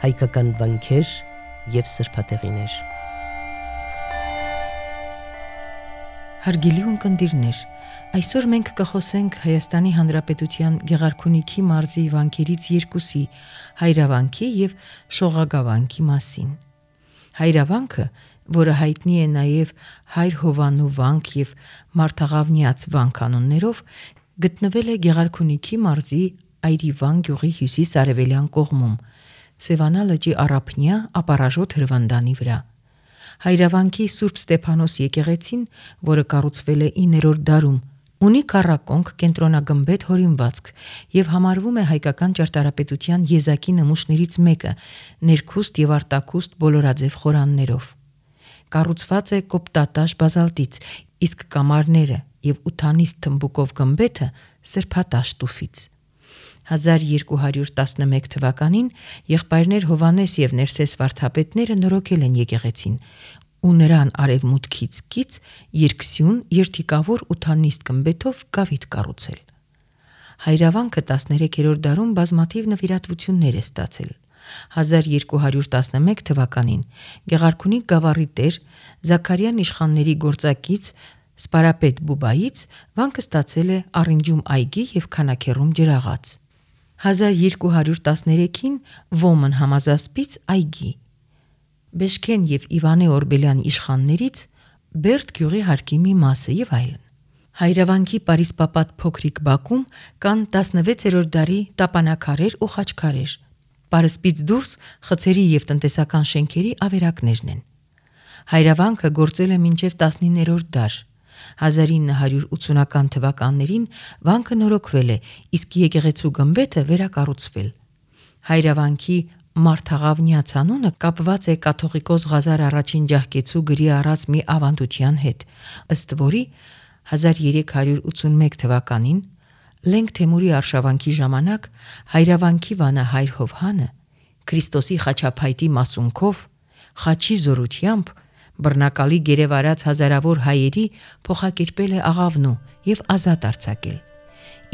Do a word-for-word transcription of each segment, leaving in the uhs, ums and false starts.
հայկական վանքեր և սրբատեղիներ։ Հարգելի ունկնդիրներ, այսօր մենք կխոսենք Հայաստանի Հանրապետության Գեղարքունիքի մարզի վանքերից երկուսի՝ Հայրավանքի և Շողագավանքի մասին։ Հայրավանքը, որը հայտնի է նաև Հայր Հովանու վանք և Մարդաղավնյաց վանք անուններով, գտնվել է Գեղարքունիքի մարզի Այրիվան գյուղի հյուսիս-արևելյան կողմում, Սևանա լճի առափնյա ապառաժոտ հրվանդանի վրա։ Հայրավանքի Սուրբ Ստեփանոս եկեղեցին, որը կառուցվել է իններորդ դարում, ունի քառակոնք կենտրոնագմբեթ հորինվածք և համարվում է հայկական ճարտարապետության եզակի նմուշներից մեկը՝ ներքուստ և արտաքուստ բոլորաձև խորաններով։ Կառուցված է կոպտատաշ բազալտից, իսկ կամարները և ութանիստ թմբուկով գմբեթը սրբատաշ տուֆից։ հազար երկու հարյուր տասնմեկ թվականին եղբայրներ Հովհաննես և Ներսես վարդապետները նորոգել են եկեղեցին ու նրան արևմուտքից կից երկսյուն երթիկավոր ութանիստ գմբեթով գավիթ կառուցել։ Հայրավանքը տասներեքերորդ դարում բազմաթիվ նվիրատվություններ է ստացել։ հազար երկու հարյուր տասնմեկ թվականին Գեղարքունիք գավառի տեր Զաքարյան իշխանների գործակից Սպարապետ Բուբայից վանքը ստացել է առինջում այգի և քանաքեռում ջրաղաց։ հազար երկու հարյուր տասներեքին Ոմն համազասպից այգի։ Բեշքեն և Իվանե Օրբելյան իշխաններից Բերդ գյուղի հարկի մի մասը և այլն։ Հայրավանքի պարիսպապատ փոքրիկ բակում կան տասնվեցերորդ դարի տապանաքարեր ու խաչքարեր։ Պարսպից դուրս խցերի և տնտեսական շենքերի ավերակներն են։ Հայրավանքը գործել է մինչև տասնիններորդ դար։ հազար ինը հարյուր ութսունական թվականներին վանքը նորոգվել է, իսկ եկեղեցու գմբեթը վերակառուցվել։ Հայրավանքի Մարդաղավնյաց անունը կապված է կաթողիկոս Ղազար առաջին ջահկեցու գրի առած մի ավանդության հետ, ըստ որի հազար երեք հարյուր ութսունմեկ թվականին Լենգ Թեմուրի արշավանքի ժամանակ Հայրավանքի վանահայր Հովհանը Քրիստոսի խաչափայտի մասունքով խաչի զորությամբ բռնակալի գերեվարած հազարավոր հայերի փոխակերպել է աղավնու և ազատ արձակել,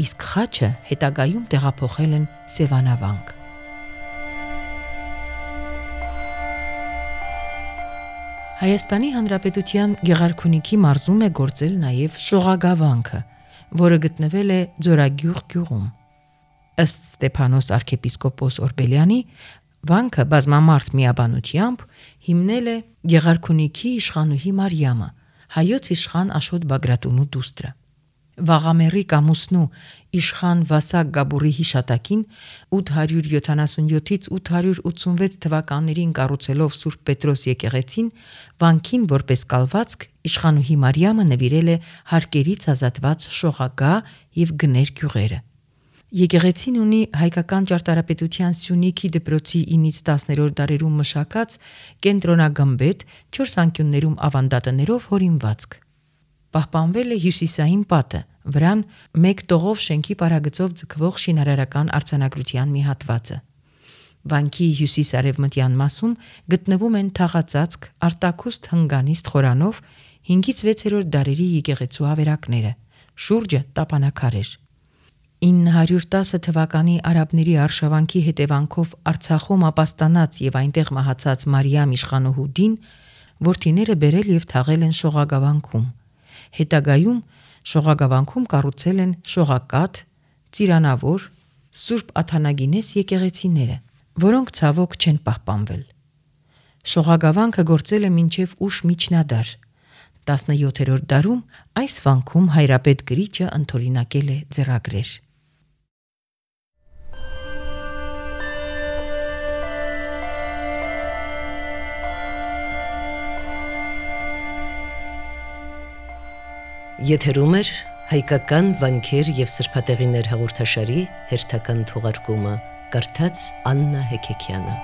իսկ խաչը հետագայում տեղափոխել են Սևանա վանք։ Հայաստանի Հանրապետության Գեղարքունիքի մարզում է գործել նաև Շողագավանքը, որը գտնվել է Ձորագյուղ գյուղում։ Ըստ Ստեփանոս arczepiskopos Օրբելյանի, վանքը բազմամարդ միաբանությամբ հիմնել է Գեղարքունիքի իշխանուհի Մարիամը, հայոց իշխան Աշոտ Բագրատունու դուստրը։ Վաղամեռիկ ամուսնու իշխան Վասակ Գաբուրի հիշատակին ութ հարյուր յոթանասունյոթից ութ հարյուր ութսունվեց թվականներին կառուցելով Սուրբ Պետրոս եկեղեցին, վանքին որպես կալվածք իշխանուհի Մարիամը նվիրել է հարկերից ազատված Շողագա և Գներ գյուղերը։ Եկեղեցին ունի հայկական ճարտարապետության Սյունիքի դպրոցի ինից տասներորդ դարերում մշակած կենտրոնագմբեթ չորս անկյուններում ավանդատներով հորինվածք։ Պահպանվել է հյուսիսային պատը, վրան մեկ տողով շենքի պարագծով ձգվող շինարարական արձանագրության մի հատվածը։ Վանքի հյուսիս-արևմտյան մասում գտնվում են թաղածածկ արտաքուստ հնգանիստ խորանով հինգից վեցերորդ դարերի եկեղեցու ավերակները, շուրջը տապանաքարեր։ ինը հարյուր տասը թվականի արաբների արշավանքի հետևանքով Արցախում ապաստանած և այնտեղ մահացած Մարիամ իշխանուհու դին որդիները բերել և թաղել են Շողագավանքում։ Հետագայում Շողագավանքում կառուցել են Շողակաթ, Ծիրանավոր, Սուրբ Աթանագինես եկեղեցիները, որոնք ցավոք չեն պահպանվել։ Շողագավանքը գործել է մինչև ուշ միջնադար։ տասնյոթերորդ դարում այս վանքում հայրապետ գրիչը ընդօրինակել է ձեռագրեր։ Եթերում է հայկական վանքեր և սրբատեղիներ հաղորդաշարի հերթական թողարկումը, կարդաց Աննա Հեքեքյանը։